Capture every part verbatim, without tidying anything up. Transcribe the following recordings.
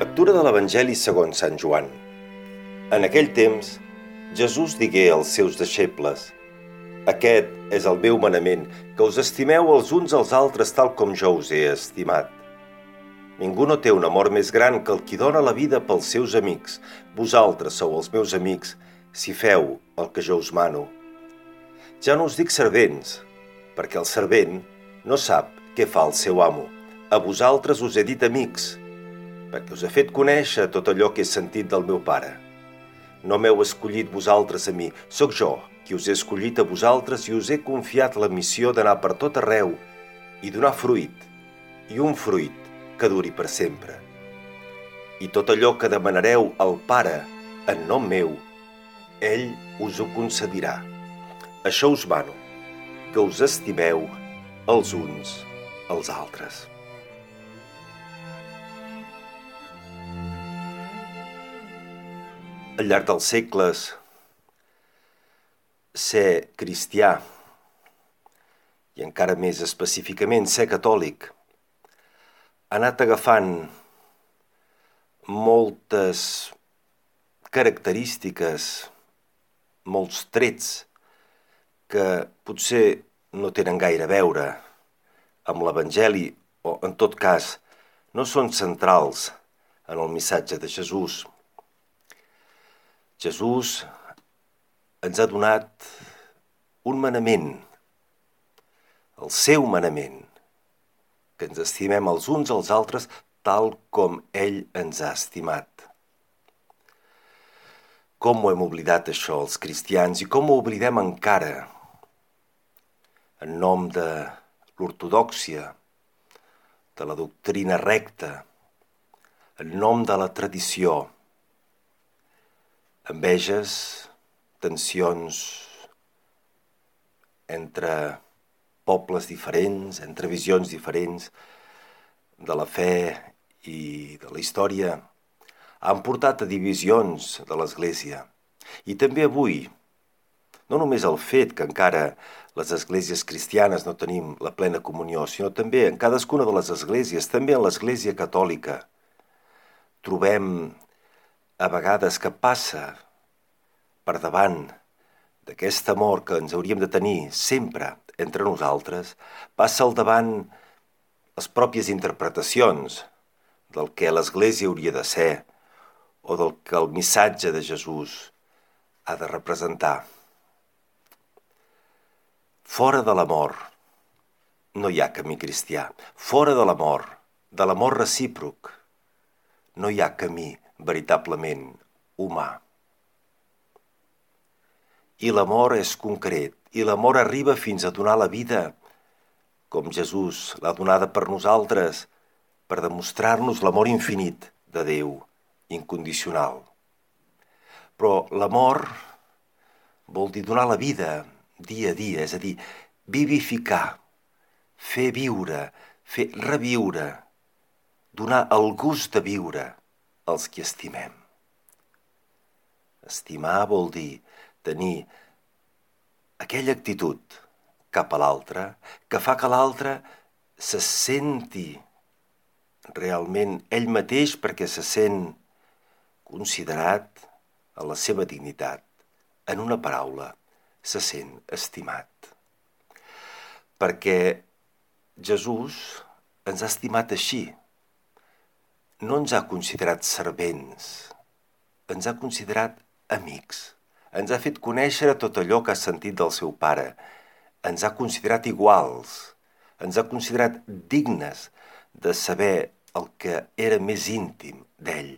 Lectura de l'Evangeli segons Sant Joan. En aquell temps, Jesús digué als seus deixebles: «Aquest és el meu manament, que us estimeu els uns als altres tal com jo us he estimat. Ningú no té un amor més gran que el qui dona la vida pels seus amics. Vosaltres sou els meus amics, si feu el que jo us mano. Ja no us dic servents, perquè el servent no sap què fa el seu amo. A vosaltres us he dit amics, perquè us he fet conèixer tot allò que he sentit del meu Pare. No m'heu escollit vosaltres a mi, sóc jo qui us he escollit a vosaltres i us he confiat la missió d'anar per tot arreu i donar fruit, i un fruit que duri per sempre. I tot allò que demanareu al Pare en nom meu, ell us ho concedirà. Això us mano, que us estimeu els uns als altres». Al llarg dels segles, ser cristià, i encara més específicament ser catòlic, ha anat agafant moltes característiques, molts trets que potser no tenen gaire a veure amb l'Evangeli o, en tot cas, no són centrals en el missatge de Jesús. Jesús ens ha donat un manament, el seu manament, que ens estimem els uns als altres tal com ell ens ha estimat. Com ho hem oblidat això els cristians i com ho oblidem encara en nom de l'ortodòxia, de la doctrina recta, en nom de la tradició. Enveges, tensions entre pobles diferents, entre visions diferents de la fe i de la història, han portat a divisions de l'Església. I també avui, no només el fet que encara les esglésies cristianes no tenim la plena comunió, sinó també en cadascuna de les esglésies, també en l'Església catòlica, trobem a vegades que passa per davant d'aquest amor que ens hauríem de tenir sempre entre nosaltres, passa al davant les pròpies interpretacions del que l'Església hauria de ser o del que el missatge de Jesús ha de representar. Fora de l'amor no hi ha camí cristià. Fora de l'amor, de l'amor recíproc, no hi ha camí veritablement humà. I l'amor és concret, i l'amor arriba fins a donar la vida, com Jesús l'ha donada per nosaltres, per demostrar-nos l'amor infinit de Déu, incondicional. Però l'amor vol dir donar la vida dia a dia, és a dir, vivificar, fer viure, fer reviure, donar el gust de viure als qui estimem. Estimar vol dir tenir aquella actitud cap a l'altre que fa que l'altre se senti realment ell mateix perquè se sent considerat a la seva dignitat. En una paraula, se sent estimat. Perquè Jesús ens ha estimat així. No ens ha considerat servents, ens ha considerat amics. Ens ha fet conèixer tot allò que ha sentit del seu Pare. Ens ha considerat iguals, ens ha considerat dignes de saber el que era més íntim d'ell.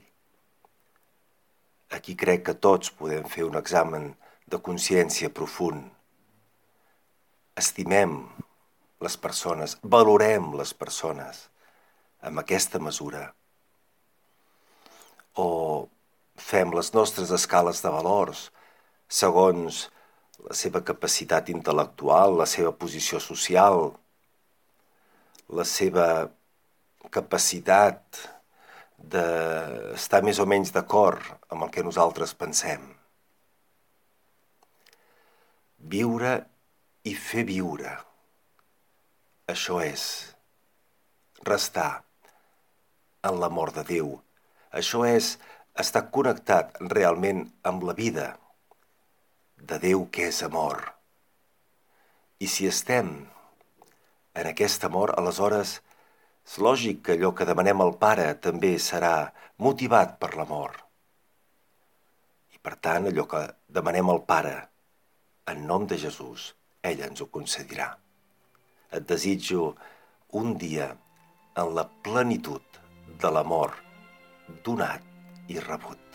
Aquí crec que tots podem fer un examen de consciència profund. Estimem les persones, valorem les persones amb aquesta mesura. O fem les nostres escales de valors segons la seva capacitat intel·lectual, la seva posició social, la seva capacitat d'estar més o menys d'acord amb el que nosaltres pensem. Viure i fer viure. Això és restar en l'amor de Déu, Això és estar connectat realment amb la vida de Déu que és amor. I si estem en aquest amor, aleshores és lògic que allò que demanem al Pare també serà motivat per l'amor. I per tant, allò que demanem al Pare, en nom de Jesús, ell ens ho concedirà. Et desitjo un dia en la plenitud de l'amor donat i rebut.